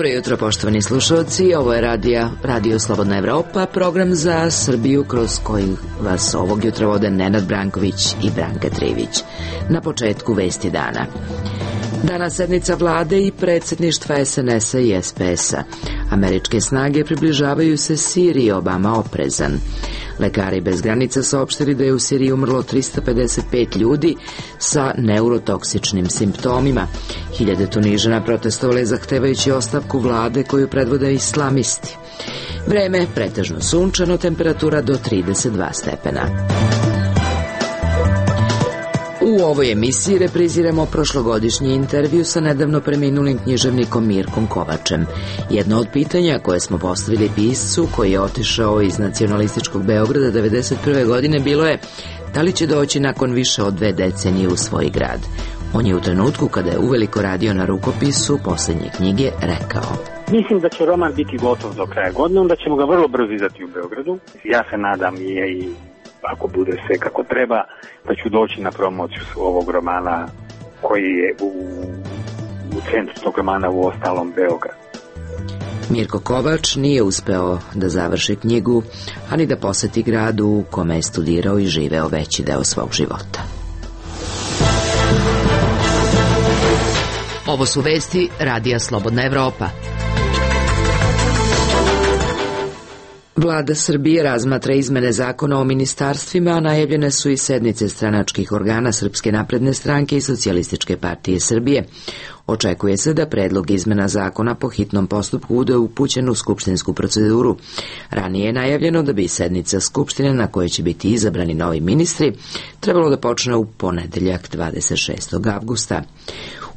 Dobro jutro, poštovani slušalci, ovo je Radio Slobodna Evropa, program za Srbiju kroz koji vas ovog jutra vode Nenad Branković i Branka Trivić. Na početku vesti dana. Danas sednica vlade i predsjedništva SNS-a i SPS-a. Američke snage približavaju se Siriji, Obama oprezan. Lekari bez granica saopštili da je u Siriji umrlo 355 ljudi sa neurotoksičnim simptomima. Hiljade Tunižana protestovale zahtevajući ostavku vlade koju predvode islamisti. Vreme pretežno sunčano, temperatura do 32 stepena. U ovoj emisiji repriziramo prošlogodišnji intervju sa nedavno preminulim književnikom Mirkom Kovačem. Jedno od pitanja koje smo postavili piscu koji je otišao iz nacionalističkog Beograda 1991. godine bilo je da li će doći nakon više od 2 decenije u svoj grad. On je u trenutku kada je uveliko radio na rukopisu posljednje knjige rekao: Mislim da će roman biti gotov do kraja godine, onda ćemo ga vrlo brzo izdati u Beogradu. Ja se nadam i ako bude sve kako treba, da ću doći na promociju ovog romana koji je u centru tog romana u ostalom Beograd. Mirko Kovač nije uspeo da završi knjigu, ani da poseti gradu u kome je studirao i živeo veći deo svog života. Ovo su vesti Radija Slobodna Evropa. Vlada Srbije razmatra izmene zakona o ministarstvima, a najavljene su i sednice stranačkih organa Srpske napredne stranke i Socijalističke partije Srbije. Očekuje se da predlog izmena zakona po hitnom postupku bude upućen u skupštinsku proceduru. Ranije je najavljeno da bi sednica Skupštine na kojoj će biti izabrani novi ministri trebalo da počne u ponedeljak 26. avgusta.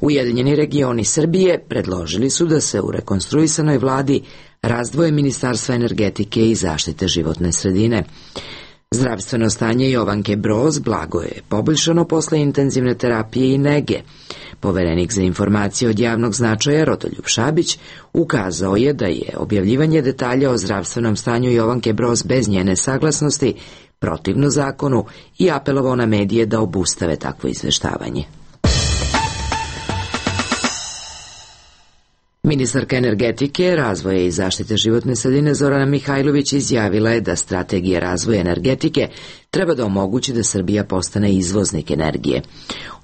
Ujedinjeni regioni Srbije predložili su da se u rekonstruisanoj vladi razdvoje Ministarstva energetike i zaštite životne sredine. Zdravstveno stanje Jovanke Broz blago je poboljšano posle intenzivne terapije i nege. Poverenik za informacije od javnog značaja Rodoljub Šabić ukazao je da je objavljivanje detalja o zdravstvenom stanju Jovanke Broz bez njene saglasnosti protivno zakonu i apelovao na medije da obustave takvo izveštavanje. Ministarka energetike, razvoja i zaštite životne sredine Zorana Mihajlović izjavila je da strategija razvoja energetike treba da omogući da Srbija postane izvoznik energije.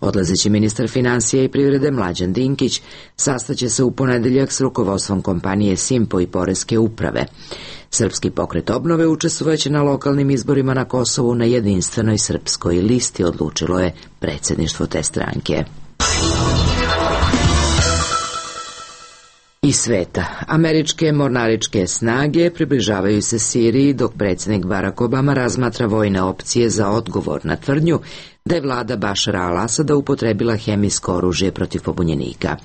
Odlazeći ministar finansija i privrede Mlađan Dinkić sastaće se u ponedeljak s rukovodstvom kompanije Simpo i Poreske uprave. Srpski pokret obnove učestvovaće na lokalnim izborima na Kosovu na jedinstvenoj srpskoj listi, odlučilo je predsjedništvo te stranke. Iz sveta. Američke mornaričke snage približavaju se Siriji dok predsjednik Barack Obama razmatra vojne opcije za odgovor na tvrdnju da je vlada Bašara al-Asada upotrebila hemijsko oružje protiv pobunjenika.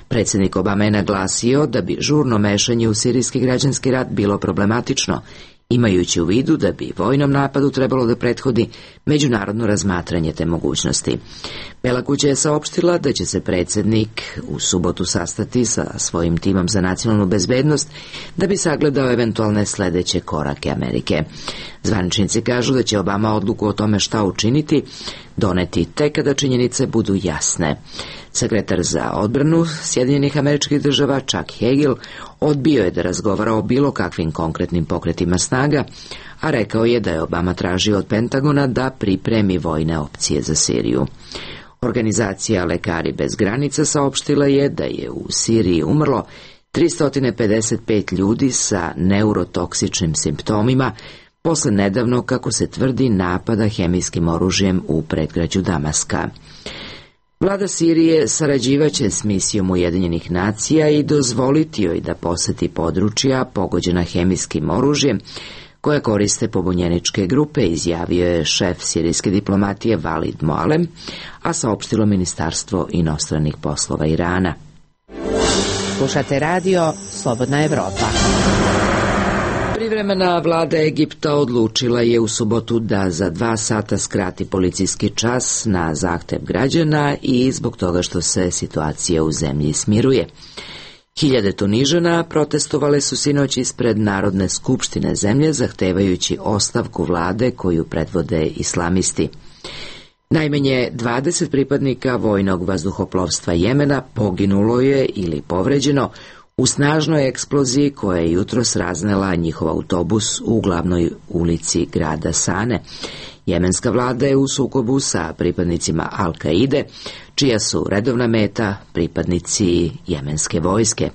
Predsjednik Obama je naglasio da bi žurno mešanje u sirijski građanski rat bilo problematično, imajući u vidu da bi vojnom napadu trebalo da prethodi međunarodno razmatranje te mogućnosti. Bela kuća je saopštila da će se predsjednik u subotu sastati sa svojim timom za nacionalnu bezbednost da bi sagledao eventualne sledeće korake Amerike. Zvaničnici kažu da će Obama odluku o tome šta učiniti doneti tek kada činjenice budu jasne. Sekretar za odbranu Sjedinjenih Američkih Država Chuck Hagel odbio je da razgovara o bilo kakvim konkretnim pokretima snaga, a rekao je da je Obama tražio od Pentagona da pripremi vojne opcije za Siriju. Organizacija Lekari bez granica saopštila je da je u Siriji umrlo 355 ljudi sa neurotoksičnim simptomima posle nedavno, kako se tvrdi, napada hemijskim oružjem u predgrađu Damaska. Vlada Sirije sarađivaće s misijom Ujedinjenih nacija i dozvoliti joj da poseti područja pogođena hemijskim oružjem koje koriste pobunjeničke grupe, izjavio je šef sirijske diplomatije Valid Moalem, a saopštilo Ministarstvo inostranih poslova Irana. Slušate radio Slobodna Evropa. Privremena vlada Egipta odlučila je u subotu da za 2 sata skrati policijski čas na zahtev građana i zbog toga što se situacija u zemlji smiruje. Hiljade Tunižana protestovale su sinoć ispred Narodne skupštine zemlje zahtevajući ostavku vlade koju predvode islamisti. Najmanje 20 pripadnika vojnog vazduhoplovstva Jemena poginulo je ili povređeno u snažnoj eksploziji koja je jutros raznela njihov autobus u glavnoj ulici grada Sane. Jemenska vlada je u sukobu sa pripadnicima Al-Kaide, čija su redovna meta pripadnici jemenske vojske.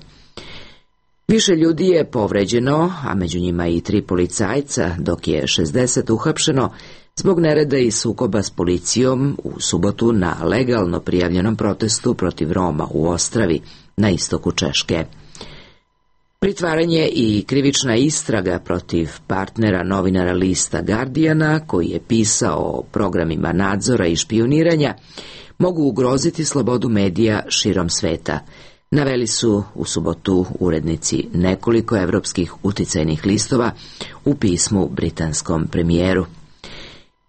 Više ljudi je povređeno, a među njima i 3 policajca, dok je 60 uhapšeno zbog nereda i sukoba s policijom u subotu na legalno prijavljenom protestu protiv Roma u Ostravi, na istoku Češke. Pritvaranje i krivična istraga protiv partnera novinara lista Guardiana, koji je pisao o programima nadzora i špijuniranja, mogu ugroziti slobodu medija širom sveta, naveli su u subotu urednici nekoliko evropskih uticajnih listova u pismu britanskom premijeru.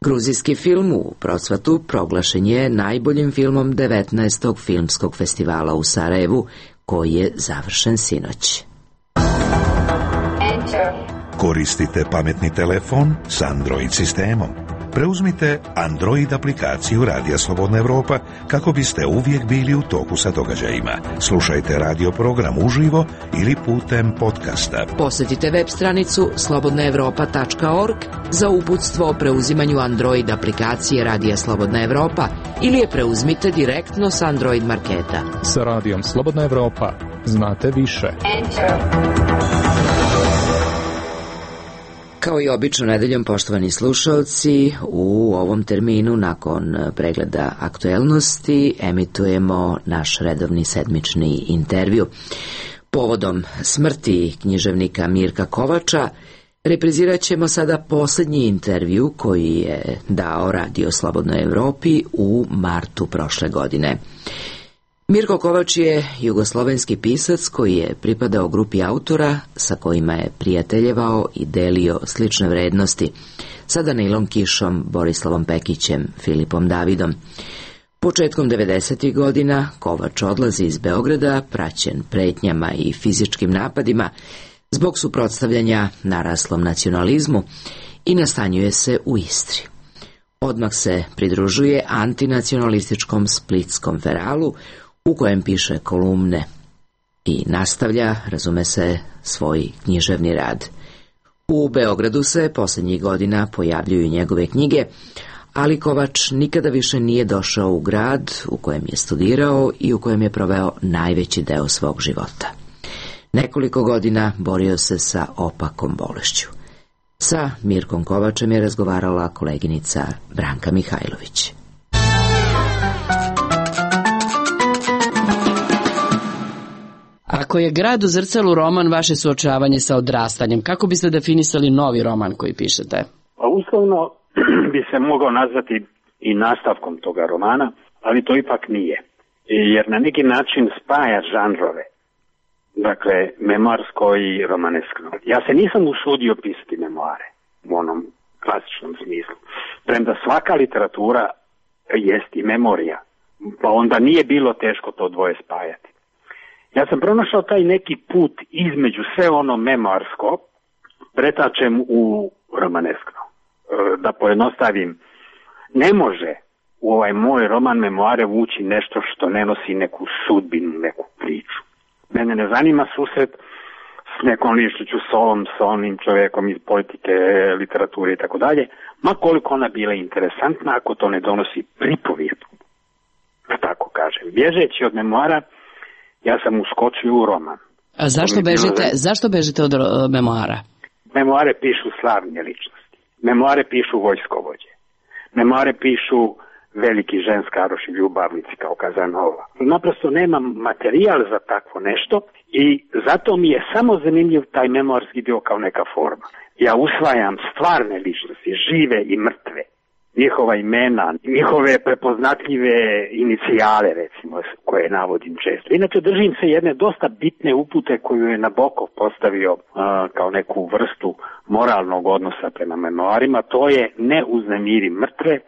Gruzijski film u procvatu proglašen je najboljim filmom 19. filmskog festivala u Sarajevu, koji je završen sinoć. Koristite pametni telefon s Android sistemom. Preuzmite Android aplikaciju Radija Slobodna Evropa kako biste uvijek bili u toku sa događajima. Slušajte radio program uživo ili putem podcasta. Posjetite web stranicu slobodnaevropa.org za uputstvo o preuzimanju Android aplikacije Radija Slobodna Evropa ili je preuzmite direktno s Android marketa. Sa Radijom Slobodna Evropa znate više. Kao i obično nedeljom, poštovani slušalci, u ovom terminu nakon pregleda aktuelnosti emitujemo naš redovni sedmični intervju. Povodom smrti književnika Mirka Kovača reprizirat ćemo sada posljednji intervju koji je dao Radio Slobodnoj Evropi u martu prošle godine. Mirko Kovač je jugoslovenski pisac koji je pripadao grupi autora sa kojima je prijateljevao i delio slične vrednosti sa Danilom Kišom, Borislavom Pekićem, Filipom Davidom. Početkom 90. godina Kovač odlazi iz Beograda, praćen pretnjama i fizičkim napadima zbog suprotstavljanja naraslom nacionalizmu i nastanjuje se u Istri. Odmah se pridružuje antinacionalističkom splitskom feralu u kojem piše kolumne i nastavlja, razume se, svoj književni rad. U Beogradu se posljednjih godina pojavljuju njegove knjige, ali Kovač nikada više nije došao u grad u kojem je studirao i u kojem je proveo najveći deo svog života. Nekoliko godina borio se sa opakom bolešću. Sa Mirkom Kovačem je razgovarala koleginica Branka Mihajlović. Ako je Grad u zrcalu roman vaše suočavanje sa odrastanjem, kako biste definisali novi roman koji pišete? Pa uslovno bi se mogao nazvati i nastavkom toga romana, ali to ipak nije. Jer na neki način spaja žanrove. Dakle, memoarsko i romaneskno. Ja se nisam usudio pisati memoare u onom klasičnom smislu. Premda svaka literatura jest i memorija, pa onda nije bilo teško to dvoje spajati. Ja sam pronašao taj neki put između sve ono memoarsko, pretačem u romaneskno. Da pojednostavim, ne može u ovaj moj roman memoare vući nešto što ne nosi neku sudbinu, neku priču. Mene ne zanima susret s nekom ličnošću, s onim čovjekom iz politike, literature i tako dalje, ma koliko ona bila interesantna ako to ne donosi pripovijest, da tako kažem. Bježeći od memoara, ja sam uskočio u roman. A zašto bežite od memoara? Memoare pišu slavne ličnosti. Memoare pišu vojskovođe. Memoare pišu veliki ženskaroši ljubavnici kao Kazanova. Naprosto nemam materijal za takvo nešto i zato mi je samo zanimljiv taj memoarski dio kao neka forma. Ja usvajam stvarne ličnosti, žive i mrtve. Njihova imena, njihove prepoznatljive inicijale, recimo, koje navodim često. Inače, držim se jedne dosta bitne upute koju je Nabokov postavio kao neku vrstu moralnog odnosa prema memoarima. To je ne uznemiri mrtve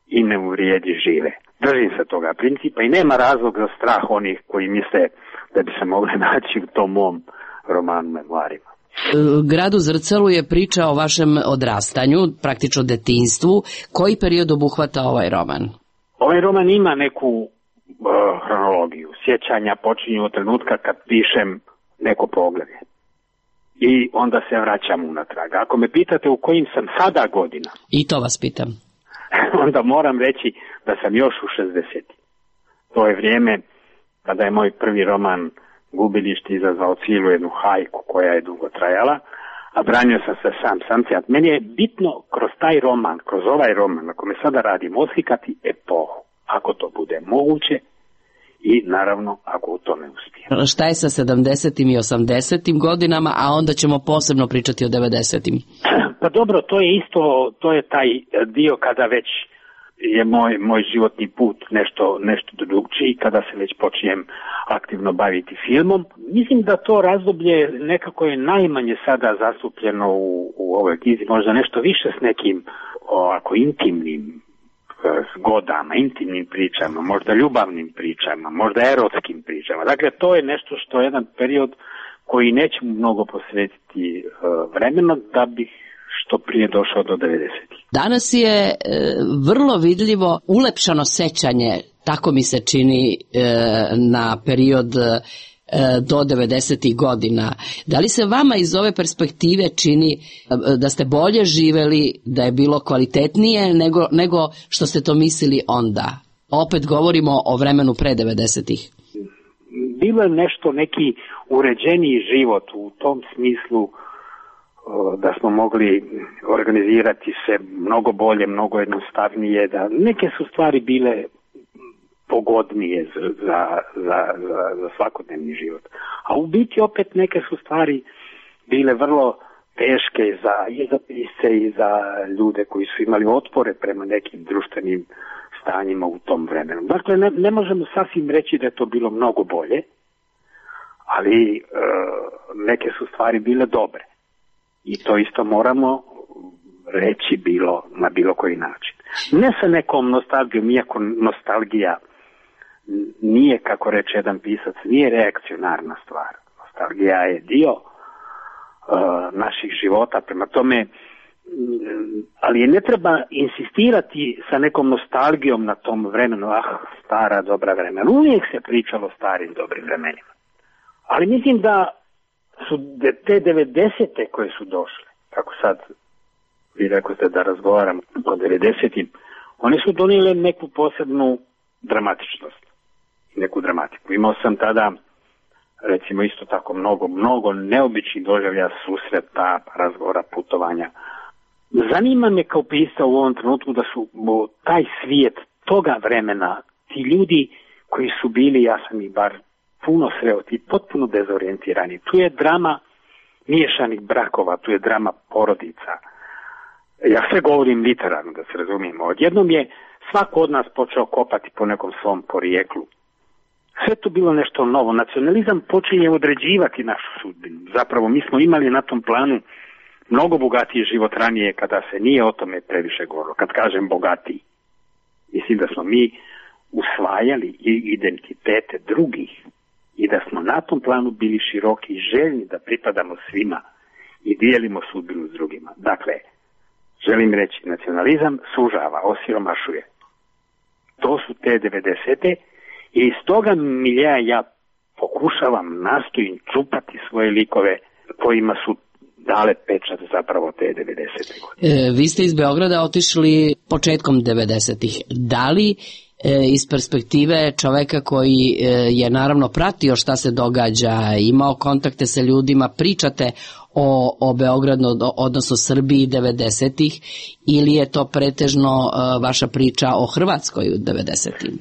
i ne uvrijedi žive. Držim se toga principa i nema razlog za strah onih koji misle da bi se mogli naći u tom mom romanu memoarima. Grad u zrcalu je priča o vašem odrastanju, praktično detinjstvu. Koji period obuhvata ovaj roman? Ovaj roman ima neku hronologiju. Sjećanja počinju od trenutka kad pišem neko poglavlje. I onda se vraćam unatrag. Ako me pitate u kojim sam sada godina, I to vas pitam. onda moram reći da sam još u 60. To je vrijeme kada je moj prvi roman Gubilište izazvao cijelu jednu hajku koja je dugo trajala, a branio sam se sam se. Meni je bitno kroz taj roman, kroz ovaj roman na kome sada radim, oslikati epohu, ako to bude moguće i naravno ako u tome uspijem. Šta je sa 70. i 80. godinama, a onda ćemo posebno pričati o 90. Pa dobro, to je isto, to je taj dio kada već je moj životni put nešto drugčiji, kada se već počnem aktivno baviti filmom. Mislim da to razdoblje nekako je najmanje sada zastupljeno u ovoj knjizi, možda nešto više s nekim ovako intimnim zgodama, intimnim pričama, možda ljubavnim pričama, možda erotskim pričama. Dakle, to je nešto što je jedan period koji nećemo mnogo posvetiti vremena da bih što prije došao do 90. Danas je vrlo vidljivo ulepšano sećanje, tako mi se čini, na period do 90. godina. Da li se vama iz ove perspektive čini da ste bolje živeli, da je bilo kvalitetnije nego što ste to mislili onda? Opet govorimo o vremenu pre 90. Bilo je neki uređeniji život u tom smislu da smo mogli organizirati se mnogo bolje, mnogo jednostavnije, da neke su stvari bile pogodnije za svakodnevni život. A u biti opet neke su stvari bile vrlo teške i za pisce i za ljude koji su imali otpore prema nekim društvenim stanjima u tom vremenu. Dakle, ne možemo sasvim reći da je to bilo mnogo bolje, ali neke su stvari bile dobre. I to isto moramo reći na bilo koji način. Ne sa nekom nostalgijom, iako nostalgija nije, kako reče jedan pisac, nije reakcionarna stvar. Nostalgija je dio naših života, prema tome, ali ne treba insistirati sa nekom nostalgijom na tom vremenu, stara dobra vremena. Uvijek se pričalo o starim dobrim vremenima. Ali mislim da su te 90. koje su došle, kako sad vi rekoste da razgovaram o 90. One su donijele neku posebnu dramatičnost, neku dramatiku. Imao sam tada, recimo isto tako, mnogo neobičnih doživljaja, susreta, razgovora, putovanja. Zanima me kao pisca u ovom trenutku da su taj svijet toga vremena, ti ljudi koji su bili, ja sam ih bar puno sreo, ti potpuno dezorijentirani. Tu je drama miješanih brakova, tu je drama porodica. Ja sve govorim literarno, da se razumijemo. Odjednom je svako od nas počeo kopati po nekom svom porijeklu. Sve to bilo nešto novo. Nacionalizam počinje određivati našu sudbinu. Zapravo mi smo imali na tom planu mnogo bogatiji život ranije kada se nije o tome previše govorilo. Kad kažem bogatiji, mislim da smo mi usvajali i identitete drugih i da smo na tom planu bili široki i željni da pripadamo svima i dijelimo sudbinu s drugima. Dakle, želim reći, nacionalizam sužava, osiromašuje. To su te 90. i iz toga milija ja pokušavam, nastojim čupati svoje likove kojima su dale pečat zapravo te 90. godine. Vi ste iz Beograda otišli početkom 90. Da li iz perspektive čoveka koji je naravno pratio šta se događa, imao kontakte sa ljudima, pričate o Beogradu, odnosno Srbiji 90-ih, ili je to pretežno vaša priča o Hrvatskoj u 90-ih?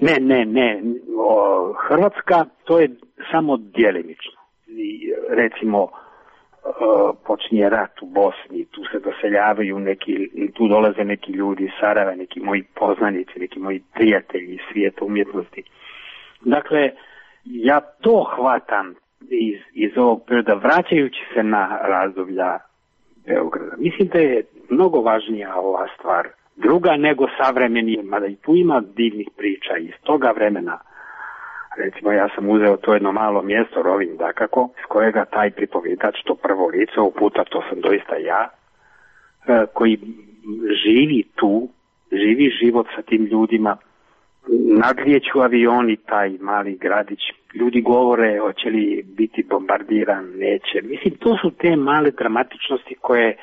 Ne. Hrvatska, to je samo djelimično. Recimo, počinje rat u Bosni, tu se doseljavaju tu dolaze neki ljudi iz Sarajeva, neki moji poznanici, neki moji prijatelji iz svijeta umjetnosti. Dakle, ja to hvatam iz ovog perioda, vraćajući se na razdoblja Beograda. Mislim da je mnogo važnija ova stvar druga nego savremeni, mada i tu ima divnih priča iz toga vremena. Recimo, ja sam uzeo to jedno malo mjesto, Rovinj dakako, s kojega taj pripovjedač, to prvo lice, ovog puta to sam doista ja, koji živi tu, živi život sa tim ljudima, nadlijeću avioni taj mali gradić. Ljudi govore hoće li biti bombardiran, neće. Mislim, to su te male dramatičnosti koje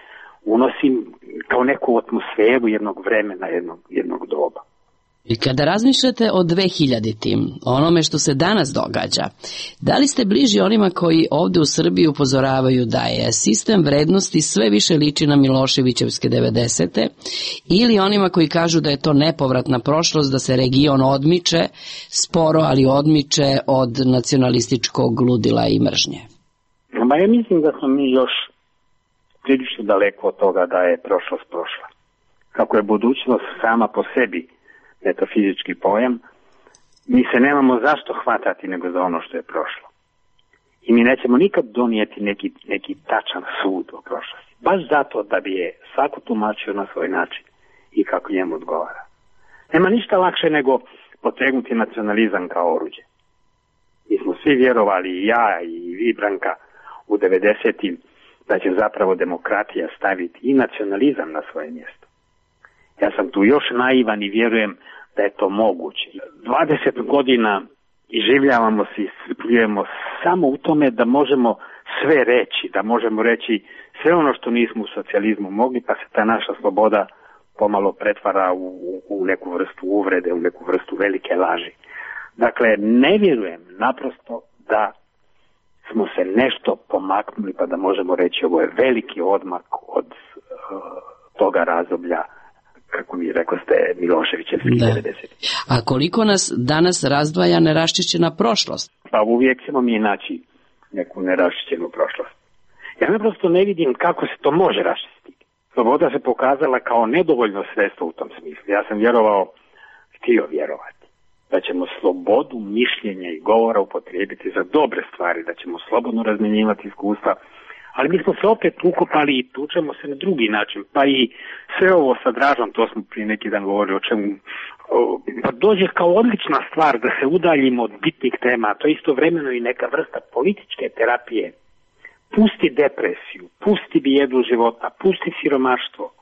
unosim kao neku atmosferu jednog vremena, jednog doba. I kada razmišljate o 2000-tim, onome što se danas događa, da li ste bliži onima koji ovde u Srbiji upozoravaju da je sistem vrednosti sve više liči na Miloševićevske 90-te, ili onima koji kažu da je to nepovratna prošlost, da se region odmiče, sporo ali odmiče od nacionalističkog ludila i mržnje? Ma ja mislim da smo mi još prilično daleko od toga da je prošlost prošla. Kako je budućnost sama po sebi metafizički pojam, mi se nemamo zašto hvatati nego za ono što je prošlo. I mi nećemo nikad donijeti neki tačan sud o prošlosti. Baš zato da bi je svako tumačio na svoj način i kako njemu odgovara. Nema ništa lakše nego potegnuti nacionalizam kao oruđe. Mi smo svi vjerovali, i ja i vi, Branka, u 90-im, da će zapravo demokratija staviti i nacionalizam na svoje mjesto. Ja sam tu još naivan i vjerujem da je to moguće. 20 godina iživljavamo se i iscrpljujemo samo u tome da možemo sve reći, da možemo reći sve ono što nismo u socijalizmu mogli, pa se ta naša sloboda pomalo pretvara u neku vrstu uvrede, u neku vrstu velike laži. Dakle, ne vjerujem naprosto da smo se nešto pomaknuli pa da možemo reći ovo je veliki odmak od toga razdoblja, kako mi rekao ste, Miloševićevskih 90. A koliko nas danas razdvaja neraščišćena prošlost? Pa uvijek ćemo mi naći neku neraščišćenu prošlost. Ja naprosto ne vidim kako se to može raščistiti. Sloboda se pokazala kao nedovoljno sredstvo u tom smislu. Ja sam htio vjerovati da ćemo slobodu mišljenja i govora upotrijebiti za dobre stvari, da ćemo slobodno razmjenjivati iskustva, ali mi smo se opet ukopali i tučemo se na drugi način, pa i sve ovo sa Dražom, to smo prije neki dan govorili o čemu, pa dođe kao odlična stvar da se udaljimo od bitnih tema, to je istovremeno i neka vrsta političke terapije. Pusti depresiju, pusti bijedu života, pusti siromaštvo.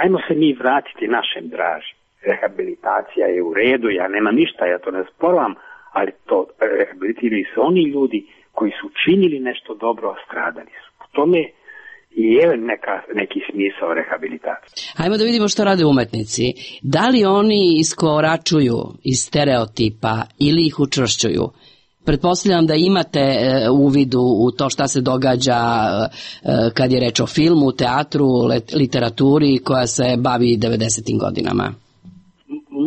Ajmo se mi vratiti našem Draži. Rehabilitacija je u redu, ja nema ništa, ja to ne sporam, ali to rehabilitiraju se oni ljudi koji su činili nešto dobro, a stradali su. U tome je neki smisao rehabilitacije. Hajmo da vidimo što rade umetnici. Da li oni iskoračuju iz stereotipa ili ih učvršćuju? Pretpostavljam da imate uvidu u to šta se događa kad je reč o filmu, teatru, literaturi koja se bavi 90. godinama.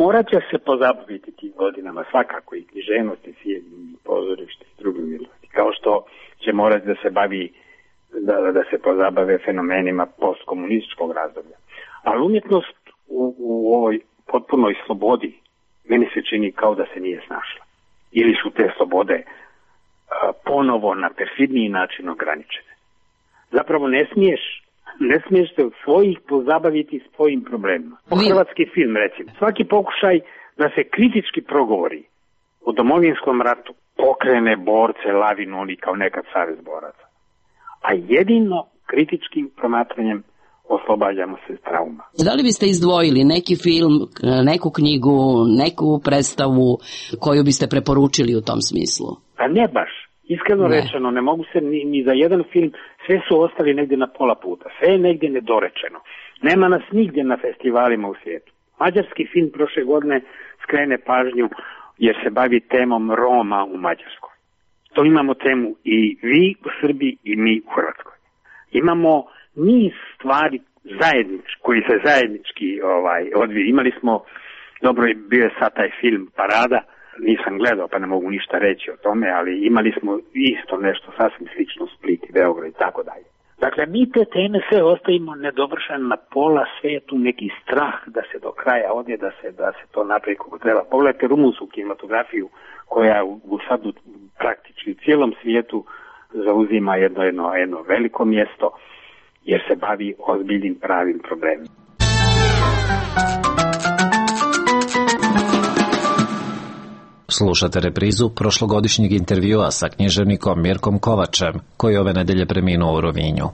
Morat će se pozabaviti tim godinama, svakako i književnost i film, i pozorište i drugi umjetnosti. Kao što će morati da se bavi, da se pozabave fenomenima postkomunističkog razdoblja. Ali umjetnost u ovoj potpunoj slobodi meni se čini kao da se nije snašla. Ili su te slobode ponovo na perfidniji način ograničene. Zapravo ne smiješ se od svojih pozabaviti svojim problemima. Hrvatski film, recimo. Svaki pokušaj da se kritički progovori o Domovinskom ratu pokrene borce, lavinu, oni kao nekad savez boraca. A jedino kritičkim promatranjem oslobađamo se trauma. Da li biste izdvojili neki film, neku knjigu, neku predstavu koju biste preporučili u tom smislu? Pa ne baš. Iskreno rečeno, ne mogu se ni za jedan film, sve su ostali negdje na pola puta, sve je negdje nedorečeno. Nema nas nigdje na festivalima u svijetu. Mađarski film prošle godine skrene pažnju jer se bavi temom Roma u Mađarskoj. To imamo temu i vi u Srbiji i mi u Hrvatskoj. Imamo niz stvari koji se zajednički odviju. Imali smo, dobro je bio je sad taj film Parada, nisam gledao pa ne mogu ništa reći o tome, ali imali smo isto nešto sasvim slično Split i Beograd i tako dalje. Dakle, mi te teme sve ostavimo nedovršene na pola, sve je tu neki strah da se do kraja odje, da se to napravi kako treba. Pogledajte rumunsku kinematografiju koja u sad praktički cijelom svijetu zauzima jedno veliko mjesto jer se bavi ozbiljnim pravim problemima. Slušate reprizu prošlogodišnjeg intervjua sa književnikom Mirkom Kovačem, koji ove nedelje preminuo u Rovinju.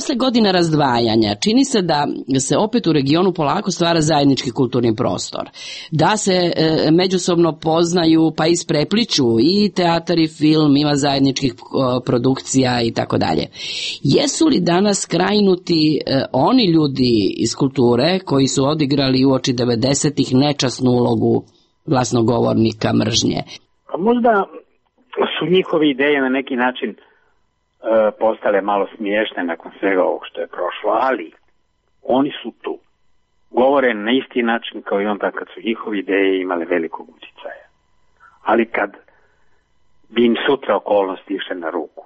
posle godina razdvajanja čini se da se opet u regionu polako stvara zajednički kulturni prostor, da se međusobno poznaju pa isprepliču i teatar i film, ima zajedničkih produkcija i tako dalje. Jesu li danas skrajnuti oni ljudi iz kulture koji su odigrali uoči 90-ih nečasnu ulogu glasnogovornika mržnje? Možda su njihove ideje na neki način postale malo smiješne nakon svega ovog što je prošlo, ali oni su tu. Govore na isti način kao i onda kad su njihove ideje imale velikog utjecaja. Ali kad bi im sutra okolnosti išle na ruku,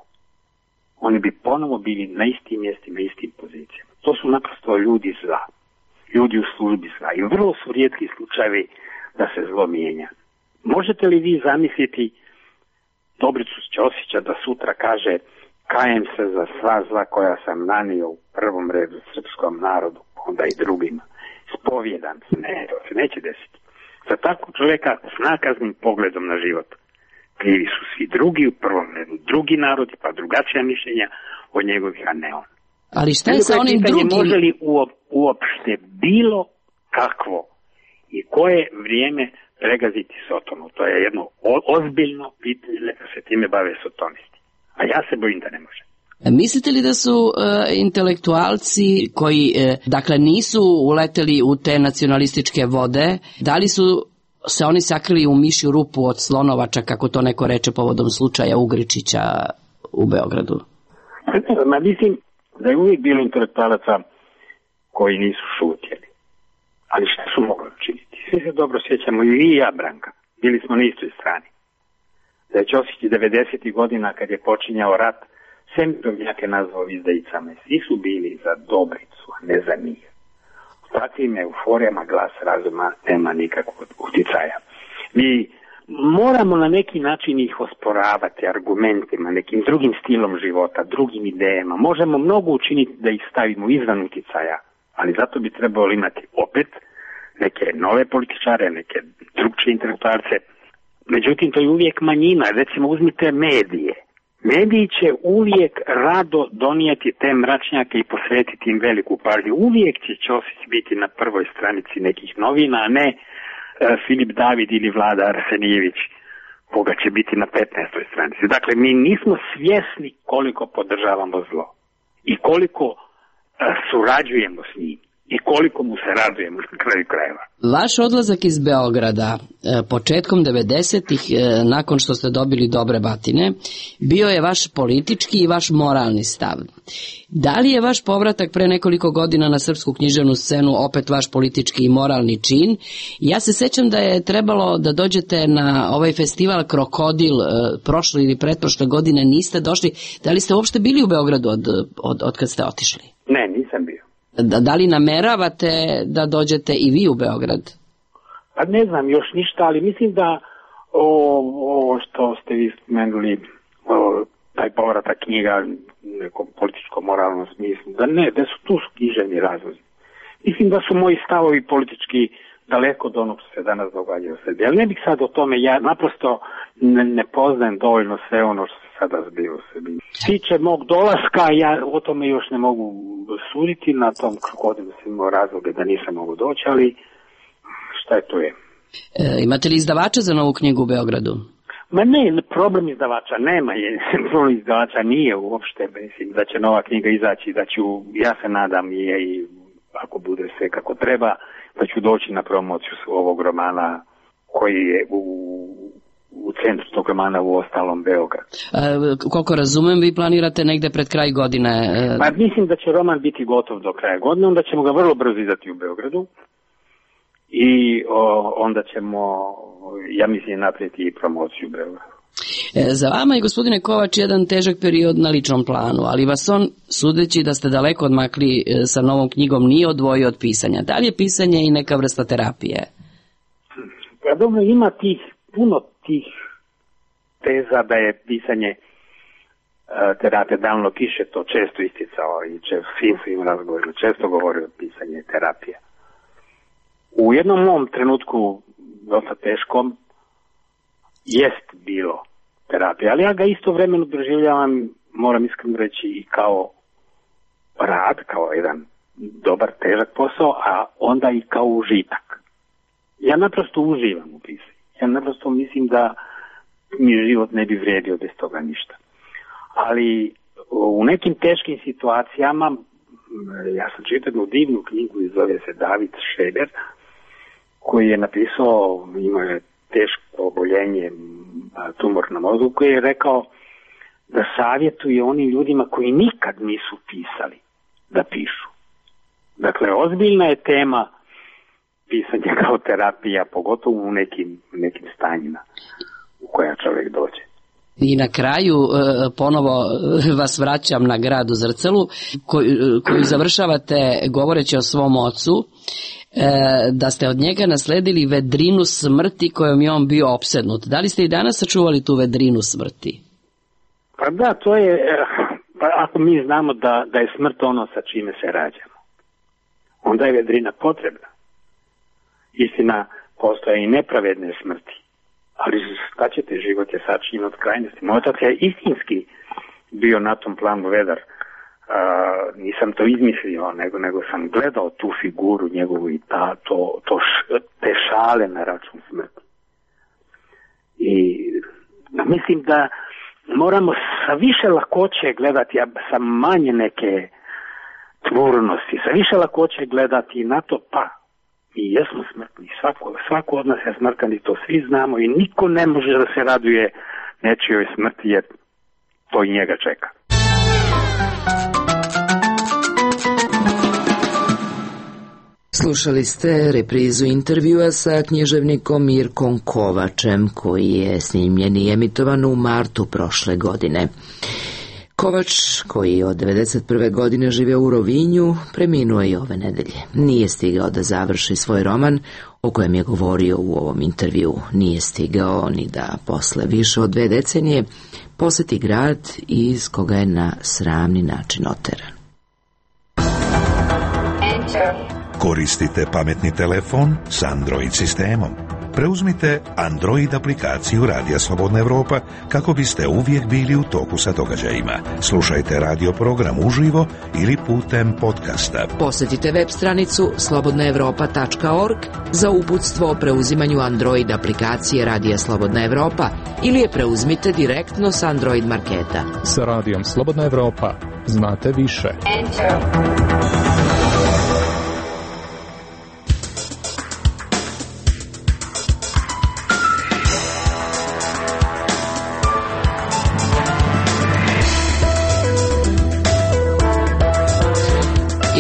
oni bi ponovo bili na istim mjestima, istim pozicijama. To su naprosto ljudi zla, ljudi u službi zla i vrlo su rijetki slučajevi da se zlo mijenja. Možete li vi zamisliti Dobricu Ćosića da sutra kaže: kajem se za sva zla koja sam nanio u prvom redu srpskom narodu, onda i drugima. Spovjedam se. Ne, to se neće desiti. Za takvog čovjeka s nakaznim pogledom na život krivi su svi drugi, u prvom redu drugi narodi, pa drugačija mišljenja od njegovih, a ne on. Ali šta je sa onim drugim? Može li uopšte bilo kakvo i koje vrijeme pregaziti Sotonu? To je jedno ozbiljno pitanje, neka se time bave sotonisti. A ja se bojim da ne može. Mislite li da su intelektualci koji dakle nisu uleteli u te nacionalističke vode, da li su se oni sakrili u mišju rupu od slonovača, kako to neko reče povodom slučaja Ugričića u Beogradu? Mislim da je uvijek bilo intelektualaca koji nisu šutjeli. Ali šta su mogli učiniti? Svi se dobro sjećamo, i vi i ja, Branka. Bili smo na istoj strani. Da je Ćosić 90. godina, kad je počinjao rat, sve mirovnjake nazvao izdajicama. Svi su bili za Dobricu, a ne za njih. U takvim euforijama glas razuma nema nikakvog utjecaja. Mi moramo na neki način ih osporavati argumentima, nekim drugim stilom života, drugim idejama. Možemo mnogo učiniti da ih stavimo izvan utjecaja, ali zato bi trebalo imati opet neke nove političare, neke drugčije intelektualce. Međutim, to je uvijek manjina. Recimo, uzmite medije. Mediji će uvijek rado donijeti te mračnjake i posvetiti im veliku pažnju. Uvijek će Ćosić biti na prvoj stranici nekih novina, a ne Filip David ili Vlada Arsenijević, koga će biti na 15. stranici. Dakle, mi nismo svjesni koliko podržavamo zlo i koliko surađujemo s njim i koliko mu se radujemo na kraju krajeva. Vaš odlazak iz Beograda početkom 90-ih, nakon što ste dobili dobre batine, bio je vaš politički i vaš moralni stav. Da li je vaš povratak pre nekoliko godina na srpsku književnu scenu opet vaš politički i moralni čin? Ja se sećam da je trebalo da dođete na ovaj festival Krokodil prošle ili pretprošle godine, niste došli. Da li ste uopšte bili u Beogradu od kad ste otišli? Ne, nisam bio. Da li nameravate da dođete i vi u Beograd? Pa ne znam još ništa, ali mislim da ovo što ste vi spomenuli, taj povratak knjiga u nekom političko-moralnom smislu, da su tu književni razlozi. Mislim da su moji stavovi politički daleko od onog što se danas događa u Srbiji. Ali ne bih sad o tome, ja naprosto ne poznajem dovoljno sve ono što se sada zbiva u Srbiji. Tiče mog dolaska, ja o tome još ne mogu suditi, na tom Krokodilu sam imao razloge da nisam mogu doći, ali šta je to je. Imate li izdavača za novu knjigu u Beogradu? Ma ne, problem izdavača nema, problem izdavača nije uopšte, mislim da će nova knjiga izaći, da ću, ja se nadam i ako bude sve kako treba, da ću doći na promociju ovog romana koji je u centru tog romana u ostalom Beograd. Koliko razumem, vi planirate negde pred kraj godine? Pa mislim da će roman biti gotov do kraja godine, onda ćemo ga vrlo brzo izdati u Beogradu i onda ćemo, ja mislim, napraviti i promociju u Beogradu. Za vama je, gospodine Kovač, jedan težak period na ličnom planu, ali vas on, sudeći da ste daleko odmakli sa novom knjigom, nije odvojio od pisanja. Da li je pisanje i neka vrsta terapije? Pa dobro, ima puno tih teza da je pisanje terapija. Danilo Kiš je to često isticao i svim svojim razgovorima često govorio o pisanje terapije. U jednom mom trenutku, dosta teškom, jest bilo terapija, ali ja ga istovremeno doživljavam, moram iskreno reći, i kao rad, kao jedan dobar, težak posao, a onda i kao užitak. Ja naprosto uživam u pisanju. Ja naprosto mislim da mi život ne bi vredio bez toga ništa. Ali u nekim teškim situacijama, ja sam čitao jednu divnu knjigu, zove se David Šeber, koji je napisao, imao je teško oboljenje, tumor na mozgu, koji je rekao da savjetuje onim ljudima koji nikad nisu pisali da pišu. Dakle, ozbiljna je tema pisanje kao terapija, pogotovo u nekim stanjima u koja čovjek dođe. I na kraju ponovo vas vraćam na Grad u Zrcelu, koju završavate govoreći o svom ocu, da ste od njega nasledili vedrinu smrti kojom je on bio opsednut. Da li ste i danas sačuvali tu vedrinu smrti? Pa da, to je, ako mi znamo da je smrt ono sa čime se rađamo, onda je vedrina potrebna. Istina, postoje i nepravedne smrti, ali šta ćete, život je sačinjen od krajnosti. Moj otac je istinski bio na tom planu vedar. Nisam to izmislio, nego sam gledao tu figuru njegovu i te šale na račun smrti. I mislim da moramo sa više lakoće gledati, a sa manje neke tvornosti, sa više lakoće gledati na to, pa mi jesmo smrtni, svako od nas je smrtan i to svi znamo i niko ne može da se raduje nečijoj smrti jer to i njega čeka. Slušali ste reprizu intervjua sa književnikom Mirkom Kovačem, koji je snimljen i emitovan u martu prošle godine. Kovač, koji od 1991. godine živio u Rovinju, preminuo je ove nedelje. Nije stigao da završi svoj roman, o kojem je govorio u ovom intervju. Nije stigao ni da posle više od 2 decenije poseti grad iz koga je na sramni način oteran. Koristite pametni telefon s Android sistemom. Preuzmite Android aplikaciju Radija Slobodna Evropa kako biste uvijek bili u toku sa događajima. Slušajte radio program uživo ili putem podcasta. Posjetite web stranicu slobodnaevropa.org za uputstvo o preuzimanju Android aplikacije Radija Slobodna Evropa ili je preuzmite direktno s Android marketa. Sa Radijom Slobodna Evropa znate više.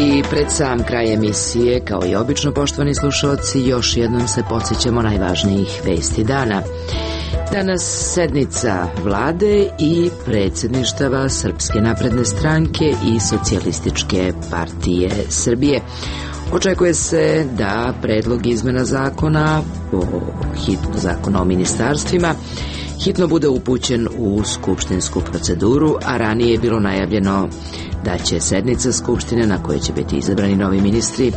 I pred sam kraj emisije, kao i obično, poštovani slušalci, još jednom se podsjećamo najvažnijih vesti dana. Danas sednica vlade i predsjedništava Srpske napredne stranke i Socijalističke partije Srbije. Očekuje se da predlog izmena zakona o ministarstvima hitno bude upućen u skupštinsku proceduru, a ranije je bilo najavljeno da će sednica Skupštine na kojoj će biti izabrani novi ministri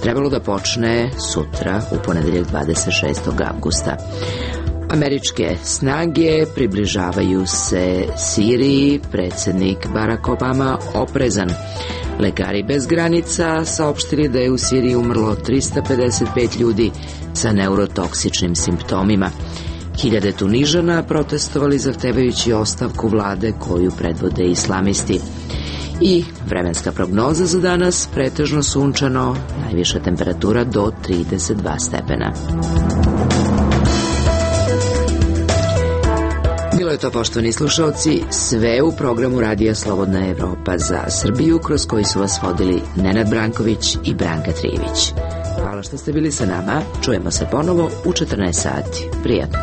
trebalo da počne sutra u ponedeljak 26. avgusta. Američke snage približavaju se Siriji, predsjednik Barack Obama oprezan. Lekari bez granica saopštili da je u Siriji umrlo 355 ljudi sa neurotoksičnim simptomima. Hiljade Tunižana protestovali zahtevajući ostavku vlade koju predvode islamisti. I vremenska prognoza za danas, pretežno sunčano, najviša temperatura do 32 stepena. Bilo je to, poštovani slušalci, sve u programu Radija Slobodna Evropa za Srbiju, kroz koji su vas vodili Nenad Branković i Branka Trijević. Hvala što ste bili sa nama, čujemo se ponovo u 14 sati. Prijatno.